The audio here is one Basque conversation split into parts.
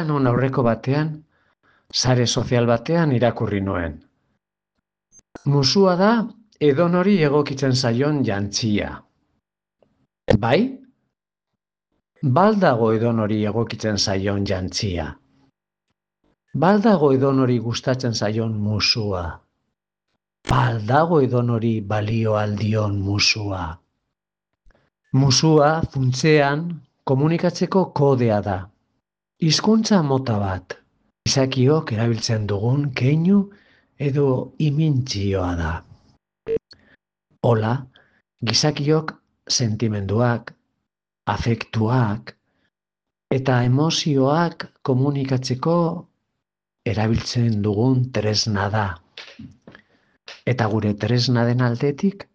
non aurreko batean, sare sozial batean irakurri nuen. Musua da edonori egokitzen zaion jantzia. Bai? Baldago edonori egokitzen zaion jantzia. Baldago edonori gustatzen zaion musua. Baldago edonori balio aldion musua. Musua funtsean komunikatzeko kodea da. Hizkuntza mota bat. Gizakiok erabiltzen dugun keinu edo imintzioa da. Hola, gizakiok sentimenduak, afektuak eta emozioak komunikatzeko erabiltzen dugun tresna da. Eta gure tresna den aldetik,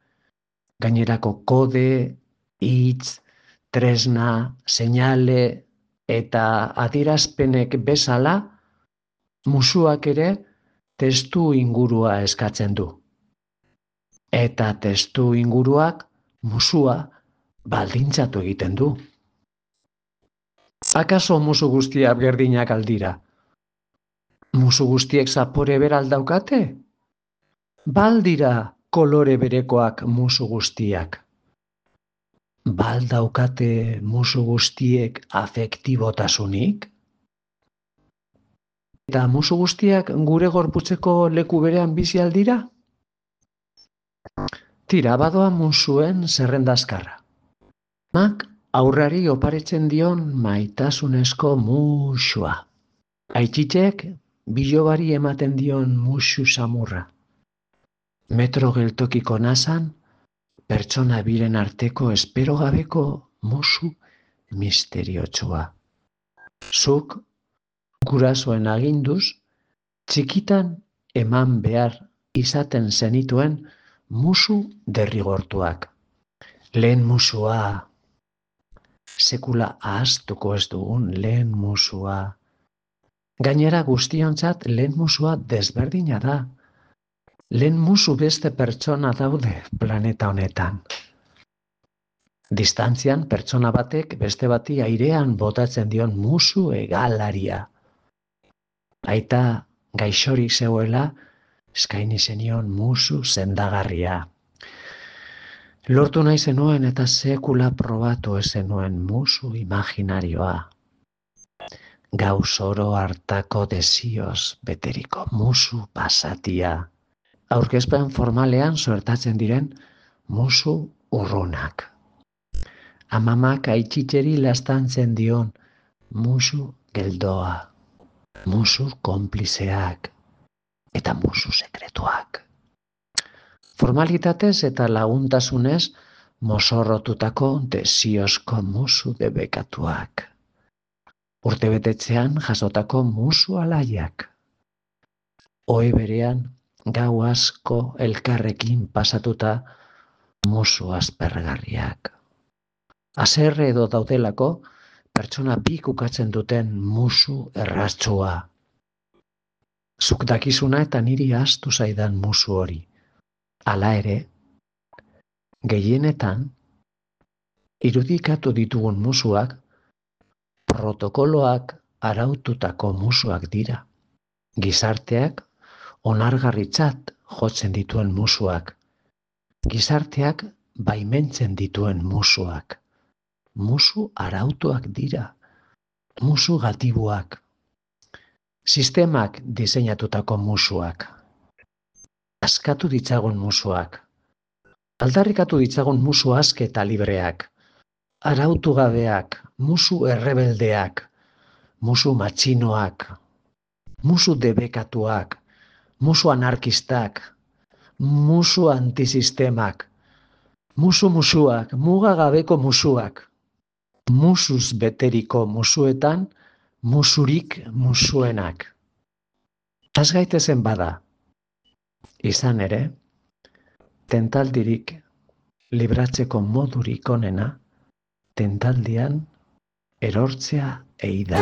gainerako kode, hitz, tresna, seinale eta adierazpenek bezala, musuak ere testu ingurua eskatzen du. Eta testu inguruak musua baldintzatu egiten du. Akaso musu guztiak berdinak aldira? Musu guztiek zapore bera aldaukate? Baldira kolore berekoak musu guztiak. Baldaukate musu guztiek afektibotasunik? Eta musu guztiak gure gorputzeko leku berean bizi aldira? Tira, badoa musuen zerrendazkarra. Mak aurrari oparetzen dion maitasunezko musua. Aitzitek bilobari ematen dion musu samurra. Metro geltokiko nazan, pertsona biren arteko espero gabeko musu misteriotsua. Zuk, gurasoen aginduz, txikitan eman behar izaten zenituen musu derrigortuak. Lehen musua, sekula ahaztuko ez dugun lehen musua. Gainera guztiontzat lehen musua desberdina da. Lehen musu beste pertsona daude planeta honetan. Distantzian pertsona batek beste bati airean botatzen dion musu egalaria. Aita gaixorik zegoela, eskaini zenion musu sendagarria. Lortu nahi zenuen eta sekula probatu ez zenuen musu imaginarioa. Gauz oro hartako desioz beteriko musu pasatia. Aurkezpen formalean suertatzen diren musu urrunak. Amamak aitzitzeri lastantzen dion musu geldoa, musu konplizeak eta musu sekretuak. Formalitatez eta laguntasunez mozorrotutako desiozko musu debekatuak. Urtebetetzean jasotako musu alaiak. Ohe berean gau asko elkarrekin pasatuta musu aspergarriak. Haserre edo daudelako pertsona bik ukatzen duten musu erratsua. Zuk dakizuna eta niri ahaztu zaidan musu hori. Hala ere, gehienetan, irudikatu ditugun musuak, protokoloak araututako musuak dira. Gizarteak onargarritzat jotzen dituen musuak. Gizarteak baimentzen dituen musuak. Musu arautuak dira. Musu gatibuak. Sistemak diseinatutako musuak. Askatu ditzagun musuak. Aldarrikatu ditzagun musu aske eta libreak. Arautu gabeak, musu errebeldeak, musu matxinoak, musu debekatuak, musu anarkistak, musu antisistemak, musuak, mugagabeko musuak, musuz beteriko musuetan, musurik musuenak. Az gaitezen bada, izan ere, tentaldirik libratzeko modurik onena, tentaldian erortzea ei da.